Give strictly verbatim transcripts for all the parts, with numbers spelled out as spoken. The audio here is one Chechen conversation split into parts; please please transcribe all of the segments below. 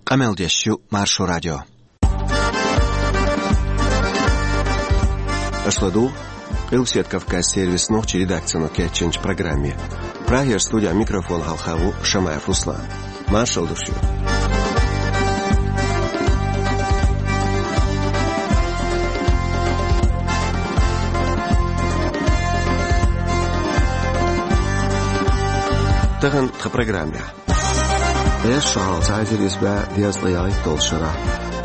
Къамел деш ю Маршо радио. Аша ладугӀу Къилбаседа Кавказ сервисан нохчийн редакцино кечйинчу программе. Прагера студехь микрофон хьалха ву Шамаев Руслан. Маршалла ду шуьга. Тахана тхан программехь. Ткъе шо хьалха цхьа эзар исс бӀе дезткъе ялхитталгӀачу шарахь,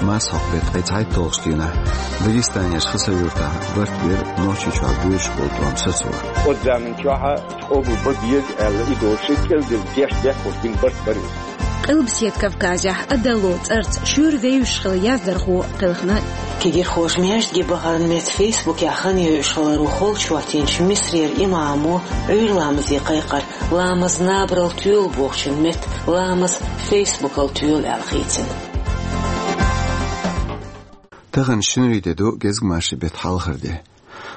марсхьокху беттан ткъе цхьайтталгӀачу дийнахь, Дагестанерчу Хасавюртахь барт бира Нохчийчохь боьдуш болу тӀом сацо. Оцу заманчохь къобал бан беза аьлла, и долуш кӀелдина гечдеш бехкаш бина барт бара иза. Къилбаседа Кавказехь Адалло цӀарца шуьйра вевзаш хилла яздархо кхелхина. Кегирхоша маьждиге бахаран метта Фейсбукехь хан йойуш хиларо холчу хӀоттийначу Мисарера имамо Ӏуьйра ламазе кхайкхира. Ламаз набарал тоьлу бохучун метта, ламаз Фейсбукал тоьлу аьлла хийцина. Тахана шинарин де ду, гезгмашин беттан хьалхара де.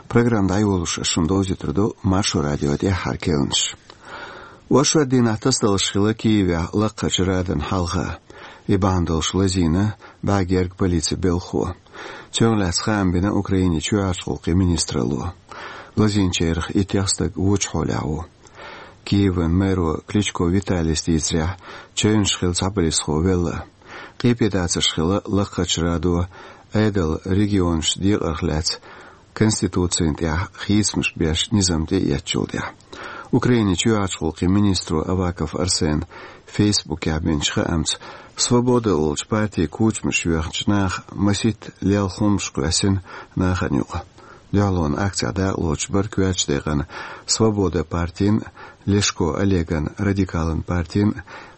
Программа дӀайолош ас шуна довзуьйтур ду Маршо радион тӀаьххьара керланаш. Оршот дийнахь тасадалаш хилла Киевехь лакхарчу радан хьалха. И бахьана долуш лазийна бӀе гергга полицин белхахо. Цунах лаьцна хаам бина Украинин чоьхьарчу гӀуллакхийн министралло. Лазийначарах иттех стаг вочу хьолехь ву. Киеван мэро Кличко Виталис дийцарехь, чевнаш хилла цхьа полисхо велла. Къепедацарш хилла лакхарчу радо Ӏедалан регионашца декъарх лаьцна конституцина тӀехь хийцамаш беш низам тӀеэцначул тӀаьхьа. Украинин чоьхьарчу гӀуллакхийн министро Аваков Арсена Фейсбукехь бинчу хаамца, Свобода олучу партин кучамаш йоьхначу наха масийтта лелха хӀуманаш кхоьссина нахана юкъа. Дуьхьалонан акцехь дакъалоцуш бара коьртачу декъана Свобода партин, Лешко Олеган радикалан партин,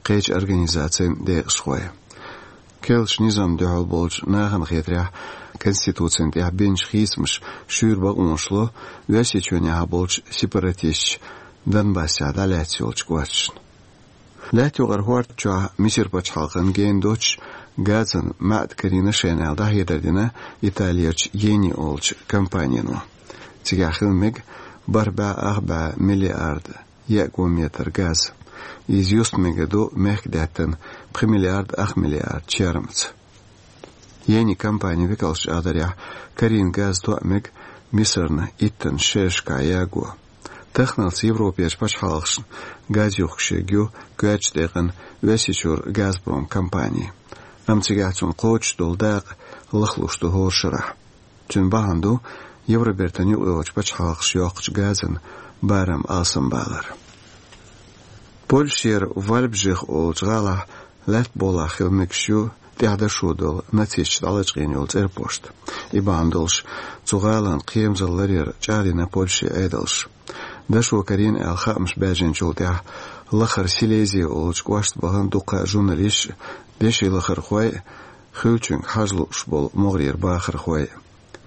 кхечу организацийн декъашхой. Керлачу низамна дуьхьал болчу нахана хетарехь, конституцина тӀехь бинчу хийцамаша шуьйра бакъонаш ло Оьрсийчоьнехь болчу сепаратисташа Донбассехь дӀалаьцна йолчу кӀошташна. Лаьтта юкъара хӀорда чохь Мисар пачхьалкхана гена доцуш газан маьӀда карийна шайна аьлла дӀахьедар дина Италерчу Ени олучу компанино. Цигахь хила мега бархӀ бӀе ах бӀе миллиард еа кубометр газ. Иза юста мегар ду мехкдаьттан пхи миллиард ах миллиард чермаца. Ени компанин векалша чӀагӀдарехь, карийна газ тоъ мега Мисарна иттанна шерашкахь яго. Таханалц Европерчу пачхьалкхашна газ юхкуш ерг ю коьртачу декъана Оьрсийчуьра Газпром компани. Амма цигахь цунна кхочуш долу дакъа лахлуш ду хӀора шарахь. Цуьнан бахьана ду Евробертан юкъайолчу пачхьалкхаша йоккхучу газан барам алсамбалар. Польшера Вальбжих олучу гӀалахь лаьтта бухахь хила мегаш ю тӀехь дашо долу нацисташа дӀалачкъийна йолу цӀерпошт. И бахьана долуш цу гӀалин кхерамзалла ларъяр чӀагӀдина Польшин Ӏедалша. Дашо карийна аьлла хаамаш баьржинчул тӀаьхьа лахара Силезия олучу кӀошта бахана дуккха а журналисташ, деши лахархой, хуьлучуьнга хьажа лууш болу могӀарера бахархой.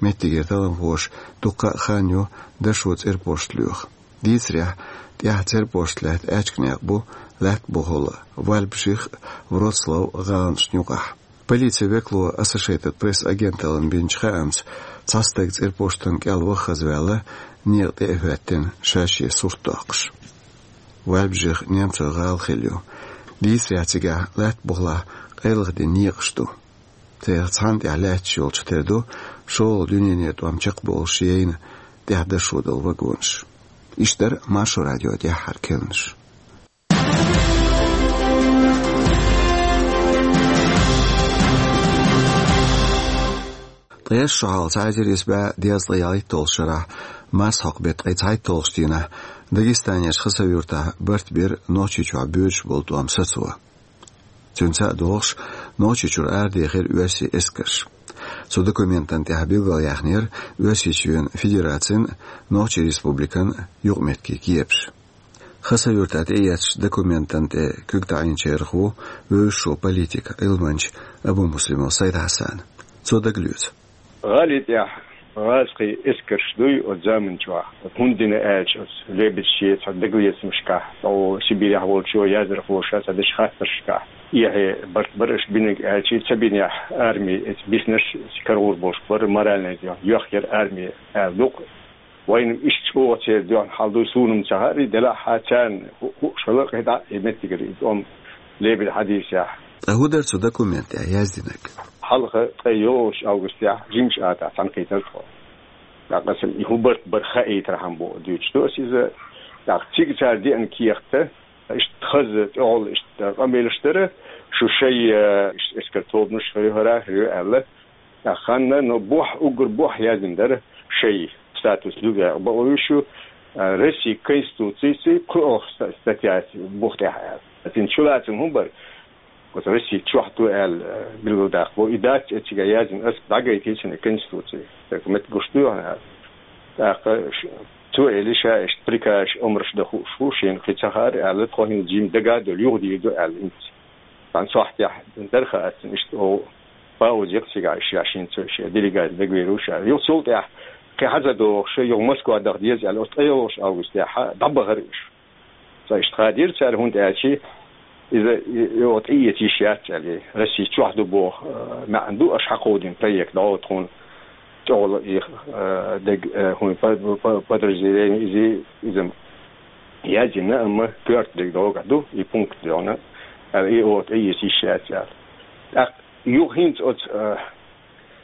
Меттигера талламхоша дуккха а хан ю дашо цӀерпошт лоьху. Дийцарехь, тӀехь цӀерпошт лаьтта аьчка некъ бу лаьтта бухахула Вальбжих, Вроцлав гӀаланашна юкъахь. Полицин векало Associated Press агенталлина бинчу хаамца, цхьа стаг цӀерпоштан кӀел ваха хаза ваьлла, некъа тӀе а хӀоьттина, ша-шен сурт доккхуш. Вальбжих немцойн гӀала хилла ю. Дийцарехь, цигахь лаьтта бухахь къайлаха дина некъаш ду. Царах цхьанна тӀехь лаьтташ йолчух тера ду шолгӀа дуьненан тӀом чекхболуш яйна тӀехь дашо долу вагонаш. Иштта дара Маршо радион тӀаьххьара керланаш. Ткъе шо хьалха цхьа эзар исс бӀе дезткъе ялхитталгӀачу шарахь, марсхьокху беттан ткъе цхьайтталгӀачу дийнахь, Дагестанерчу Хасавюртахь барт бира Нохчийчохь боьдуш болу тӀом сацо. Цуьнца а догӀуш, Нохчийчуьра арадехира оьрсийн эскарш. Цу документана тӀехь билгалъяьхнера Оьрсийчоьнан Федерацин а, Нохчийн Республикан а юкъаметтигийн кепаш. Хасавюртахь тӀеэцначу документана тӀе куьг таӀийначарах ву вевзаш волу политик, Ӏилманча Абумуслимов Сайд-Хьасан. Цо дагалоьцу. ГӀали тӀехь гӀазкхийн эскарш дуй оцу заманчохь, оцу хӀунда дина аьлча, оцу лебедаш шен цхьа дагалецамашкахь, цхьа Сибирехь волчо, яздархоша цхьа дечу хаттаршкахь, эхье барт бара аша бинарг аьлча, ца бинехь, арми, эца биснарш карагӀур болуш бара, моральный йоьхкера арми аьлла ду-кх. Вайна иштта чӀогӀа церан дуьхьал хьал дуй, суна-м ца хаьара, делахь а царна ху-, хууш хилла кхидӀа а и меттигара и тӀом лебеда хьадийсехь. Ткъа хӀун дара цу документехь яздинарг? Хьалха ткъе йолчу августехь жимчу атахь цхьаьнакхийтира тхо. ТӀаккха аса и хӀун барт бара хаийтархьама боху дуьйцуш ду аса иза. ТӀаккха цига цара деана кехат, иштта хаза тӀехула иштта къамелаш дара, шу шай, э, иштта эскар тобанаш хӀара, хӀара аьлла. ТӀаккха ханна, но бохь, уггар бохь яздина дара шай статус дуьгахь бакъо ю шу, э, Россин Конституцин пхоьалгӀа ста-, статья бух тӀехь аьлла. Цуьнан чулацам хӀун бара? Оцу Росси чохь ду аьлла, э, билгалдаккха боху. И дац эцигахь яздина, ас дӀагайтина цуьнан Конституци. Так, меттиг гуш ду хьуна аьлла. ТӀаккха ш-, цо элира ша иштта приказ, омраш дан хууш ву, шена кхин ца хаьара аьлла, тхо хӀинца жимма дага а долу юха дийр ду аьлла хӀинца. Цхьана сохьтехь дара хаа аццана иштта оха пауза яхна цигахь, ша шен цо, шен делегаци дагавер ву ша. Юха цул тӀаьхьа кхин хьаза дохуш, юха Москва даха деза аьлла, оцу ткъе йолхуш августехь дӀабахара уьш. Цхьа иштта хадийра цара, хӀунда аьлча иза, и, и, оха тӀеэца йиш яц аьлла, Росси чохь ду боху, э, маьӀна ду аша хьакховдийна проект, дӀо тхуна тӀехула и, э, даг, э, хӀун, по-, по-, подразделение иза, иза яздина, амма коьрта дерг догахь ду, и пункт догӀна, аьлла, и оха тӀеэца йиш яц аьлла. ТӀаккха юха хӀинца оцу, э,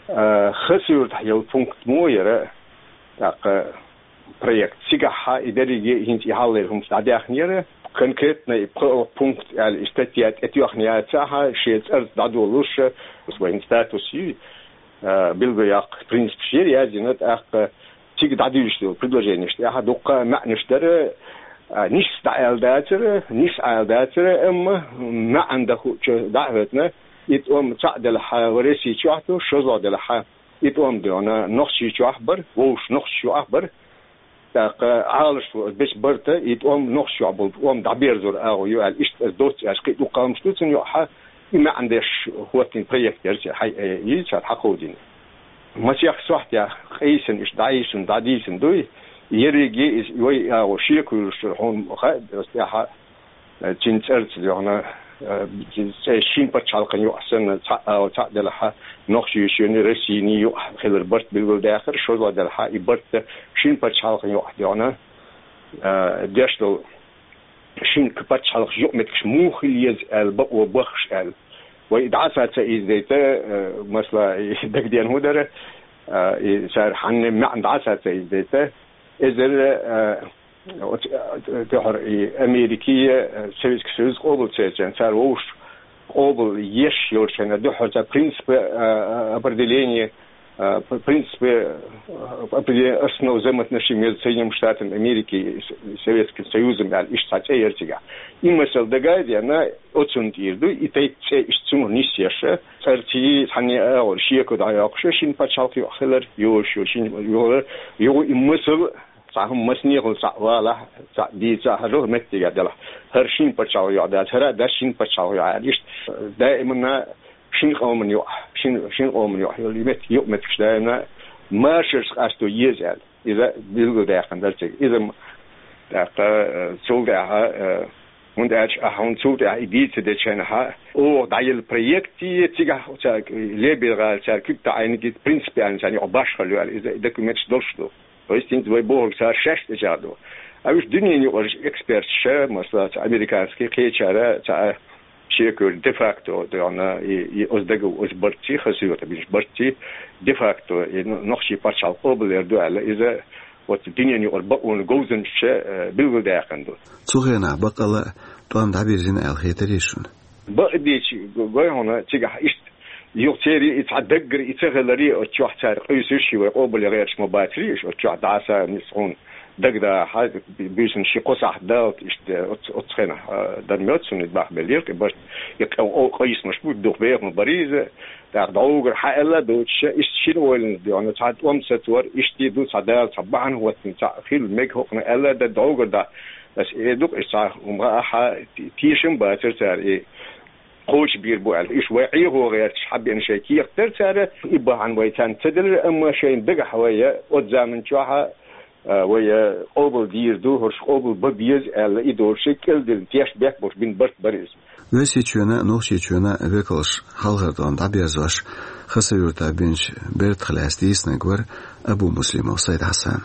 э, Хасавюртахь йолу пункт мо яра, тӀаккха проект. Цигахь и дерриге хӀинца и хьаллера хӀуманаш дӀадаьхнера, конкретно и пхоьалгӀа пункт аьлла и статья тӀетоьхна яцахь, шен цӀарца дӀадолуш, вайн статус ю, а, билгалъяккха принципаш яра яздина, тӀаккха цига дӀадуьйцуш долу предложенеш тӀехь дуккха а маьӀнаш дара, а, нис дӀа аьлла дацара, нис Ӏала дацара, амма маьӀна дан хуучу дӀа а хӀоьттина, и тӀом цхьаъ делахь, Росси чохь ду, шозлагӀа делахь, и тӀом дегӀана Нохчийчохь бара, вовшашна Нохчийчохь бара. ТӀаккха Ӏалашо бечу барта, и тӀом Нохчийчохь болу тӀом дӀаберзор агӀо ю аьлла, иштта аса доцца аьлча, кхин а дуккха хӀуманаш ду цунна юкъахь, и маьӀна деш хӀоттийна проект яра церан, хьай, э, и цара хьакховдийна. Масех сохьтехь къийсина, иштта дӀаийсина, дӀадийцина дуй, ерриге иза вай агӀо шеко йолуш хьуна хаьа, аса тӀаьхьа Э, цуьнан цӀарца дегӀана, э, цӀе шина пачхьалкхан юкъахь санна, цхьаъ ала, цхьаъ делахь, Нохчийчоьнан, Россин юкъахь хилар барт билгалдаьккхира, шозлагӀа делахь, и барт шина пачхьалкхан юкъахь дегӀана, э, деш долу шина пачхьалкхан юкъаметтигаш муха хила еза аьлла, бакъо баххаш аьлла. Вай дӀа а ца, ца иза дайта, э, масала, и дагадеана хӀун дара, э, и цара хьанна маьӀна дӀа а ца, ца иза дайта, эзар, э, Оцу, э, дуьхьал и Америкин, э, Советский Союз къобал ца еча, цара вовшашна къобал еш йолчу хенахь дуьхьал цара принципы, э, э, определения, э, п-, принципы, э, определения основ взаимоотношений между Соединёнными Штатами Америки и С-, Советским Союзом аьлла, иштта цхьа цӀе яра цигахь. И масал дага а деана, оцунна тӀера ду, и тайпа цӀе иштта цунах нисъеш, цӀарций, цхьанне а агӀор шеко дӀайоккхуш, шина пачхьалкх юкъахь хилар, йош ю, шина юкъахь, юха и масал Цхьа хӀума массанехула цхьаъ валахь, цхьаъ дийцахь, хӀара меттигехь делахь, хӀара шина пачхьалкх юкъахь дац, хӀара а дац шина пачхьалкх юкъахь аьлла, иштта даиманна шина къоман юкъахь, шина, шина къоман юкъахь йолу и меттиг, юкъаметтигаш даиманна машарца къасто еза аьлла. Иза билгалдаьккхина дара цига. Иза м-, тӀаккха, э, цул тӀаьхьа, э, хӀунда аьлча ахьа хӀунда цул тӀаьхьа и дийца дечу хенахь, оха дӀаелла проект, цигахь цара Лебедин гӀала цара куьг таӀийна, принципиально царна юкъахь башхалла ю аьлла, иза и документаш долуш ду. То есть, хӀинца вай бохург цара шаьш тӀечӀагӀдо. А уьш дуьненан юкъарчу эксперташа, масала, цхьа американский кхечара, цхьа шекара де-факто, догӀна, и, и оцу дага, оцу барций, Хасавюртахь бинчу барций, де-факто, и но-, нохчийн пачхьалкх къобалъяр ду аьлла, иза оцу дуьненан юкъара бакъонан говзанчаша, э, билгалдаьккхина ду. Цу хенахь баккъалла а тӀом дӀабирзина аьлла хетарий шуна? Бакъдийцича, гой хьуна, цигахь иштта юха церан и цхьа даггара и ца хиларе, оцу чохь цара къуьйсуш, ши вай къобалъян гӀерташ ма бацарий уьш, оцу чохь дӀа а сацийна хьуна дагадахьа, буьйсанна ши-кхо сахьт даллалц иштта оцу, оцу хенахь, а, дан моьтту суна, и бахбеллера, и барт, и къ-, о, къийсамаш бу, дукха беха ма барий иза, тӀаккха дӀогара хьааьлла а доцуш, иштта шина ойланаш дегӀана, цхьа тӀом сацор, иштта ду, цхьа Дала цхьа бахьана хӀоттийна, цхьа хила мега хӀокхунах аьлла а дан дӀогара дахь, аса эр ду-кх, иштта цхьа хӀума гӀа а хьа, те-, тешам бацара цара и кхочушбийр бу аьлла. Уьш вай Ӏехо гӀерташ хьабеана шайн кехат дара цара, и бахьана вай царна ца делира, амма шайна дагахь вай оцу заман чохь а, а, вай, а, къобал дийр ду, хӀорш къобал бан беза аьлла, и долуш шайн кӀелдина тешнабехк болуш бина барт бара иза. Оьрсийчоьнан а, Нохчийчоьнан а векалш хьалхара тӀом дӀаберзош, Хасавюртахь бинчу бертах лаьцна дийцинарг вара Абумуслимов Сайд-Хьасан.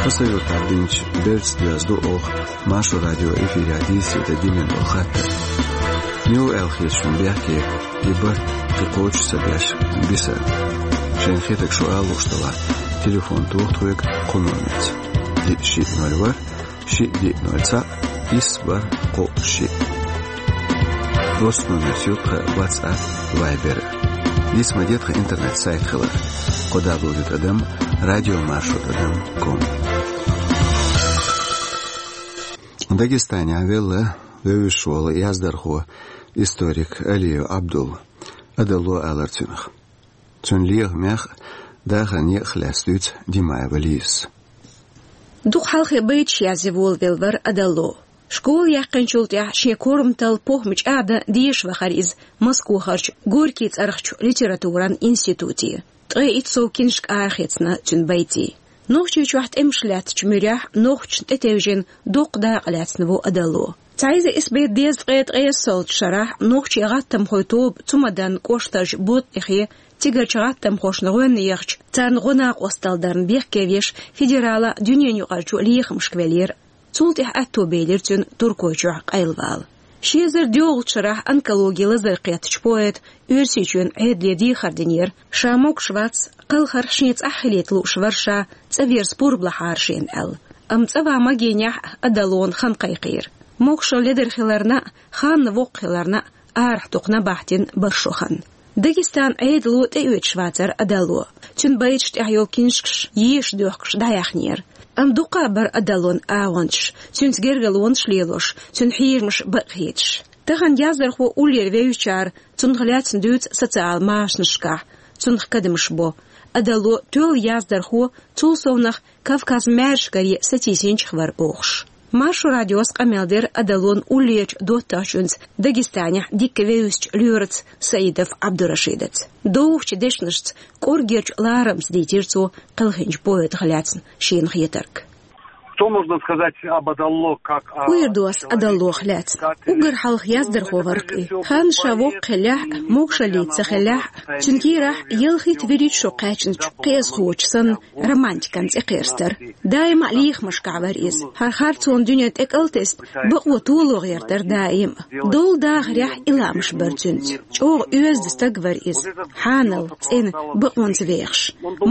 Аса юртахь динчу берца доьзна ду оха Маршо радио эфирехь дийцаре дан дина долу хаттар. Мила аьлла хета шуна бехке, и барт кхин кхочуш ца беш, бисар? Шайна хетарг шу ала лууш делахь, телефон тоха тхоьга кху номерца: диъ шиъ ноль ворхӀ, шиъ диъ ноль цхьаъ, исс бархӀ кхоъ шиъ. Оцу номерца ю тхан WhatsApp, Viber. Диц ма де тхан интернет-сайт хилар: кхо дабл ю тӀадам радио маршо тӀадам ком. Дагестанехь велла вевзаш волу яздархо, историк Алиев Абдул. Адалло алара цуьнах. Цуьнан лехамех а, дахаран некъах а лаьцна дуьйцу Димаева Лизас. Дукха хьалхе байташ язъян волавелла вара Адалло. Школа яьккхинчул тӀаьхьа шен корматалла похӀма чӀагӀдан дезаш вахара иза Москвахарчу Горький цӀарахчу литературан институте. Ткъе итт сов киншка арахецна цуьнан байтийн. Нохчийчохь тӀемаш лаьттачу муьрехь нохчашна тӀетевжина доккха дакъа лаьцна ву Адалло. Цхьа эзар исс бӀе дезткъе ткъайоьссалгӀачу шарахь нохчийн гӀаттамхойн тоба Цумадан кӀоштарчу Боттихе цигарчу гӀаттамхошна гӀоьнна яхча, царна гӀо-накъосталла дарна бехке веш, федералан а, дуьненаюкъарчу а лехамашка веллера. Цул тӀаьхьа аьтто белира цуьнан Туркойчохь къайлавала. Ши эзар доьалгӀачу шарахь онкологин лазар кхеттачу поэта Оьрсийчоьнан Ӏедале дехар динера, ша могуш вац, кхалхарх шен цӀахь хилийта лууш вара ша, цӀа верза пурба лахьара шена аьлла. Амма цӀа ван магийнехь а Адаллона хан кхайкхийра. Могушалла ледара хиларна а, ханна воккха хиларна а арахь дукха набахтина бара шо хан. Дагестанан Ӏедало тӀеоьцуш вацара Адалло. Цуьнан байташ тӀехь йолу киншкаш езаш доьхкуш дӀаяьхьнера. Амма дуккха а бара Адаллон агӀончаш, цуьнца гергарлонаш лелош, цуьнан хьежамаш бакъ хеташ. Тахана яздархо уллера вевзачара цунах лаьцна дуьйцу социал машанашкахь, цунах кадамаш бо. Адалло тоьлла яздархо, цул совнах Кавказан маьршкаре сатийсинчех вара бохуш. Маршо радиос къамел дира Адаллон уллерачу доттагӀчуьнца, Дагестанехь дикка вевзачу лоьраца Саидов Абдурашидаца. Довхачу дешнашца, кӀорггерчу ларамца дийцира цо кхелхинчу поэтах лаьцна шена хетарг. Что можно сказать об Адалло как о... ХӀун эр ду ас Адаллох лаьцна? Уггар хьалха яздархо вара-кх и. Ханна ша воккха хиллехь а, могушаллица ца хиллехь а, цуьнан кийрахь ялхитта-вуьрхӀитта шо кхаьчначу кхиазхочу санна романтикан цӀе кхерстара. Даима а лехамашкахь вара иза. ХӀара харцонан дуьне тӀекӀалтесна, бакъо толо гӀертара даима а. Долу дахарехь и лаамаш бара цуьнца. ЧӀогӀа оьзда стаг вара иза. Хьанал, цӀена, бакъонца вехаш.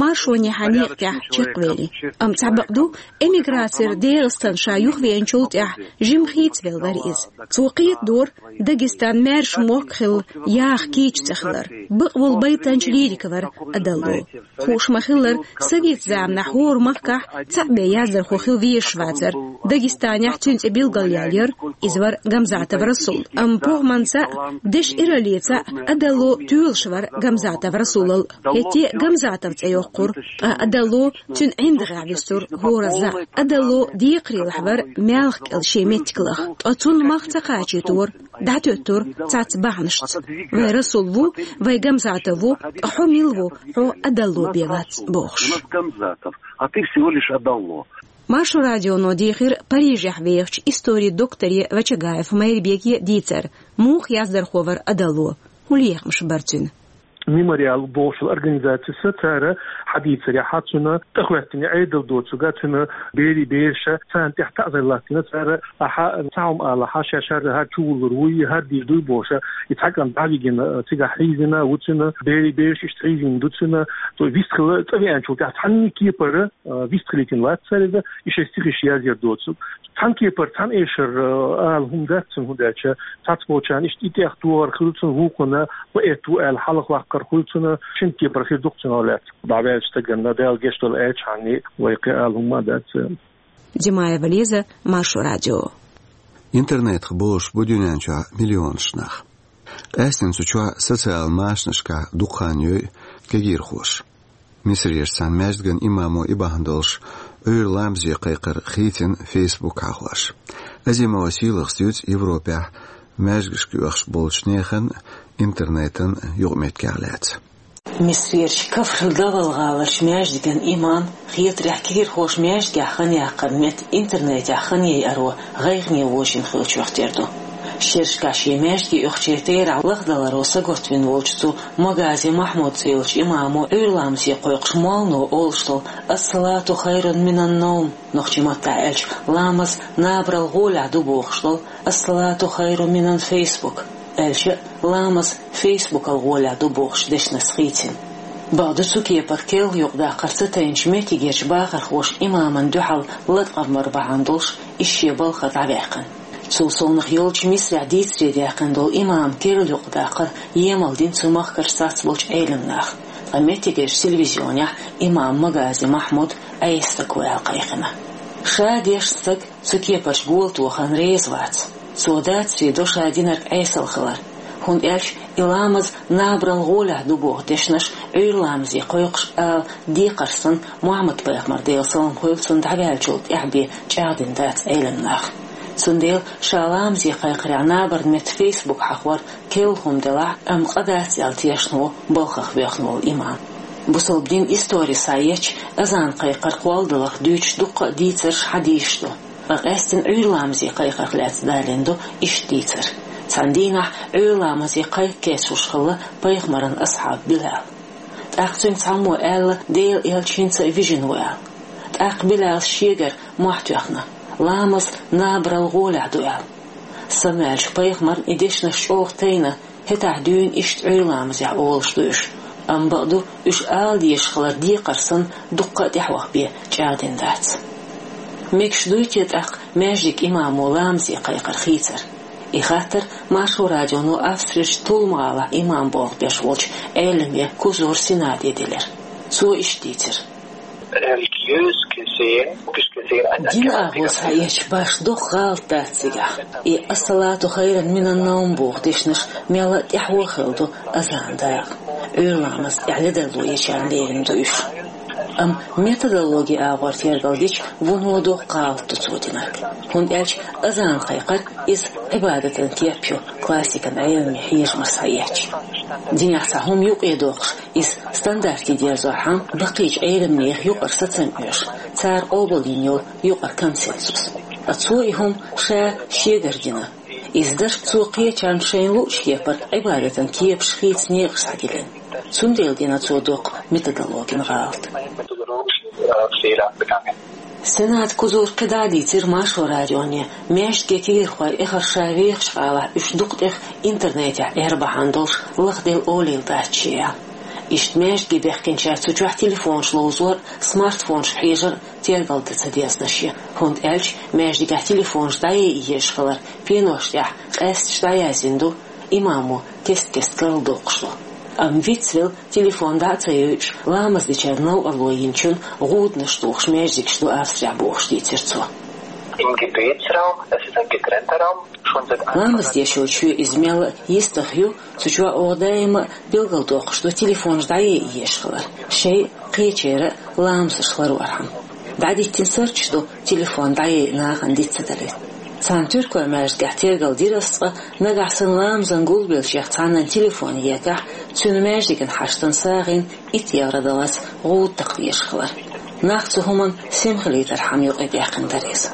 Маршонехьа некъа тӀехь чекхвели. Амма цхьа бакъ ду, эмиграцера ДегӀастана ша юхавеанчул тӀаьхьа жимма хийцавелла вара иза. Цо кхетадора, Дагестан маьрша мохк хилла яха кийча ца хилар. Бакъволу байтанча лирик вара Адалло. Хууш ма-хиллара, совет заманахь хӀора махкахь цхьаъ бен яздархо хила везаш вацара. Дагестанехь цуьнан цӀе билгалъяьлла яра, иза вара Гамзатов Расул. Амма похӀманца а, дешан ираллица а Адалло тоьлуш вара Гамзатов Расулал. ХӀетте а Гамзатов цӀе йоккхура, ткъа Адалло цуьнан ӀиндагӀехь вуьстура хӀора заа. Адалло декхарийлахь вара маьлхан кӀел шен меттиг лаха, ткъа цунна мах ца кхачийтора, дӀатоьттура цхьацца бахьанашца. Вай Расул ву, вай Гамзатов ву, ткъа хьо мила ву, хьо Адалло бен вац, бохуш. У нас Гамзатов, а ты всего лишь Адалло. Маршо радионо дийхира Парижехь вехачу историн докторе Вачагаев Майрбеке дийцар, муха яздархо вара Адалло, хӀун лехамаш бара цуьнан. Мемориал бохучу организацис цара хьадийцарехь, цуьнан тӀехӀоьттина Ӏедал доцург, цуьнан берийн бераш, царна тӀехь таӀзар латтийна цара, ахьа цхьа хӀума алахь, ша шарра хӀара чувуллур вуй, хӀара дийр дуй бохуш, и цхьа кӀант дӀавигина, цигахь хьийзина ву цуьнан, берийн бераш иштта хьийзина ду цуьнан, цо вистхила цӀа веанчул тӀаьхьа цхьанна а кепара, а, вистхилийтина вац цара иза, и шайн стихаш язъяр доцург. Цхьана кепара, цхьана эшар, а, ала хӀума дац цуьнан, хӀунда аьлча цхьацца болчарна иштта и тӀех тохар хир ю цуьнан, вукхунна поэт ву аьлла хьалха ваккхар хуьлу цуьнан, шина кепара хир ду-кх цуьнан лаьцна. ДӀаваьллачу стаганна Дала гечдойла аьлча, хьанна вай кхин ала хӀума а дац. Димаева Лиза, Маршо радио. Интернетах болуш бу дуьнен чохь миллионаш нах. Къаьсттина цу чохь социал машанашкахь дукха хан йой кегийрхоша. Мисарерчу цхьана маьждиган имамо и бахьана долуш Ӏуьйра ламазе кхайкхар хийцина Facebook хьахош. Азимова Сийлахас дуьйцу Европехь маьждигашка оьхуш болчу нехан интернетан юкъаметтигех лаьцна. Мисарерчу Кафр-Давал гӀаларчу маьждиган имам хетарехь, кегийрхоша маьждигехь хан яккхаран метта интернетехь хан яйаро гӀайгӀане вожийна хиллачух тера ду. Шерашкахь шен маьждиге оьхучеран терахь лахдаларо сагатвина волчу цу Магази Махьмуд цӀе йолчу имамо Ӏуьйра ламазе кхойкхуш моллано олуш долу «Ас-салату хайрун минан-навм», нохчийн маттахь аьлча, «Ламаз набарал гӀолехь ду» бохуш долу «Ас-салату хайрун минан-фейсбук», аьлча а, «Ламаз фейсбукал гӀолехь ду» бохучу дешнашца хийцина. Бакъду, цу кепара керла юкъадаккхар ца тайначу меттигерчу бахархоша имамна дуьхьал латкъам бар бахьана долуш, иза шен балхара дӀаваьккхина. Цул совнаха йолчу Мисрехь дийцаре даьккхина долу имамна керла юкъадаккхар емал дина цу махкара цхьацца болчу Ӏеламнаха. Ткъа меттигерчу телевизионехь имам Магази Махьмуд Ӏеса стаг ву аьлла кхайкхина. Ша дешна стаг цу кепарчу гола тохарна реза вац. Цо дацаре до ша динарг Ӏесалла хилар, хӀунда аьлча и «Ламаз набарал гӀолехь ду» боху дешнаш Ӏуьйра ламазе кхойкхуш ала декхар санна, Мухьаммад-пайхамар, Делан салам хуьлда цунна, дӀаваьллачул тӀаьхьа бен чӀагӀдина дац Ӏеламнаха. Цундела ша ламазе кхайкхарехь набарна метта фейсбук хьахор керла хӀума делахь а, амма къа дац аьлла тешна ву балхах воьхна волу имам. Бусалба динан истори схьаэцча, азан кхайкхар кхолладаларх дуьйцуш дуккха а дийцарш, хьадисаш ду. Ткъа къаьсттина Ӏуьйра ламазе кхайкхарх лаьцна далийна ду иштта дийцар. Цхьана дийнахь Ӏуьйра ламазе кхайкха кечлуш хилла пайхамаран асхьаб Билал. ТӀаккха цуьнга цхьаммо аьлла, Делан элча хӀинца а вижина ву аьлла. ТӀаккха Билала шегара мохь тоьхна: «Ламаз набарал гӀолехь ду», – аьлла. Самаваьллачу пайхамарна и дешнаш чӀогӀа тайна, хӀетахь дуьйна иштта Ӏуьйра ламазехь олуш ду уьш. Амма бакъду, уьш ала дезаш хилар декхар санна, дуккха а тӀаьхьа ваха бен чӀагӀдина дац. Мегаш дуй те тӀаккха маьждиган имамо ламазе кхайкхар хийцар? И хаттар Маршо радионо Австрерчу Тулм-гӀалахь имам болх беш волчу Ӏеламе Кузур Сенаде делира. Цо иштта дийцира: Religiös gesehen, logisch gesehen, ein Динан агӀор схьаэцча, башха доккха гӀалат дац цигахь. И «Ас-салату хайрун минан-навм» боху дешнаш мелла а тӀаьхьо хилла ду азанан дакъа. Ӏуьйра ламаз тӀехь ледарло ечарна лерина ду уьш. Амма методологин агӀор тергал дича, вуно доккха гӀалат ду цо динарг. ХӀунда аьлча азан кхайкхар иза Ӏибадатан кеп ю, классикан Ӏеламе хьежамаш схьаэцча. Динехь цхьа хӀума юкъе доккхуш, иза стандарте дерзорхьама, баккхийчу Ӏелам нехан юкъара сацам оьшу, цара къобалйина йолу юкъара консенсус. Ткъа цо и хӀума ша шегара дина. Иза дара цо кхечарна шайна луучу кепара Ӏибадатан кепаш хийца некъаш схьадиллина. Цундела дина цо доккха методологин гӀалат. Сенада Кузура кхидӀа а дийцира Маршо радионе, маьждиге кегийрхой эххар ша вехачу гӀалахь уьш дукха тӀех интернетехь Ӏер бахьана долуш лахделла олийла дац шен. Иштта маьждиге баьхкинчара цу чохь телефонаш ловзор а, смартфонашка хьежар а тергал дан ца дезна шен, хӀунда аьлча маьждигехь телефонаш дӀаяйа езаш хилар, пеношна тӀехь къаьсташ дӀаяздина ду, имамо кест-кеста карладоккхуш ду. Амма вицвелла, телефон дӀа а ца йойуш, ламаз дечарна новкъарло йинчунна гӀуданаш тухуш маьждигаш ду Австрехь бохуш дийцира цо. Im Gebetsraum, es ist ein getrennter Raum, schon seit Ламаз деш йолчу иза мелла а йистах ю, цу чохь оха даима а билгалдоккхуш ду телефонаш дӀаяйа езаш хилар, шайн а, кхечеран а ламазаш ларорхьама. ДӀадиттина сурташ ду телефон дӀаяйа нахана диц ца далийта. Цхьана туркойн маьждигехь тергал дира ас, ткъа нагахь санна ламазна гулбеллачех цхьаннан телефон екахь, цуьнан маьждиган хьаштана сагӀина итт евро даллалц гӀуда такха дезаш хилар. Нах цу хӀуманна сема хилийтархьама юкъадаьккхина дара иза.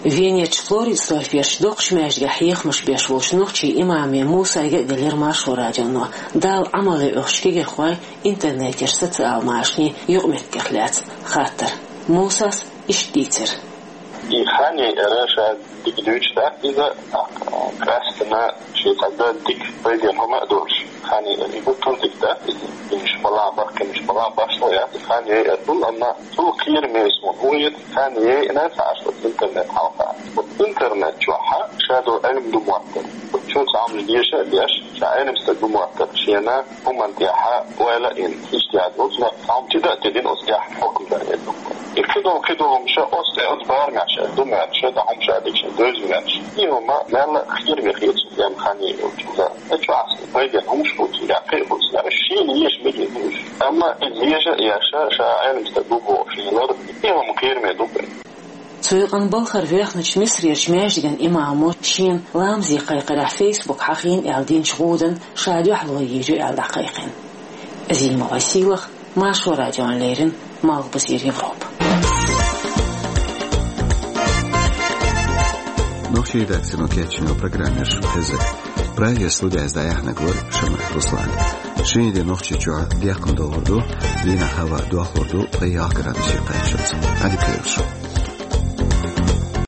Венерчу Флоридсдорферчу доккхачу маьждигехь хьехамаш беш волчу нохчийн имаме Мусайга а делира Маршо радионо, Далла Ӏамал ян оьхучу кегийрхойн интернетера, социал машанийн юкъаметтигех лаьцна хаттар. Мусас иштта дийцира: И хан яйар ша дика дуьйцуш дац иза, тӀаккха къаьсттина шен цхьа дан дика пайденна хӀума а долуш. Хан яйар и гуттар а дика дац иза. Инаш балан, бахкинаш балан башхо яц и хан яйар. Амма цул кхераме суна хӀун хета, хан яйина ца Ӏаш оцу интернет хьалха. Оцу интернет чохь ша долу Ӏилма ду моттар. Оцу чу цхьа хӀумнаш деша а деш, ша Ӏилма стаг ду моттар. Шена хӀуманна тӀехь ойла а йина, иштта яц, оцу нах цхьа хӀума тида а тидина, оцу тӀехь хьукам дар а ду. И кхидолу, кхидолу хӀума ша оцу тӀе, оцу барамехь ша ду моьттуш, ша тӀе хӀума ша дика ша девза моьттуш. И хӀума мелла а кхераме хета суна, хан яйар йолчу. Иза чохь аса пайденна хӀумаш хуьлу цигахь, кхин а хуьлу цигахь. Шена еш мегий хӀумаш. Амма иза деша а еш, ша Ӏилма стаг ду бохуш, и лар, и хӀума кхераме ду-кх. Цу юкъана балхара воьхначу Мисрерчу маьждиган имамо шена ламазе кхайкхарехь фейсбук хьахийна аьлла динчу гӀуданна ша дуьхьало йийр ю аьлла дӀакхайкхина. Зимова Сийлаха, Маршо радиона леррина, Малхбузера Европа. Нохчийн редакцино кечйина программа яр шун хеза. Прагера студехь дӀаяьхьнарг вара Шамаев Руслан. Шинарин де Нохчийчохь декхна догӀур ду, дийнахь хӀаваъ дохлур ду, ткъе ялх градусе кхаччалц. Ӏадика йойла шун.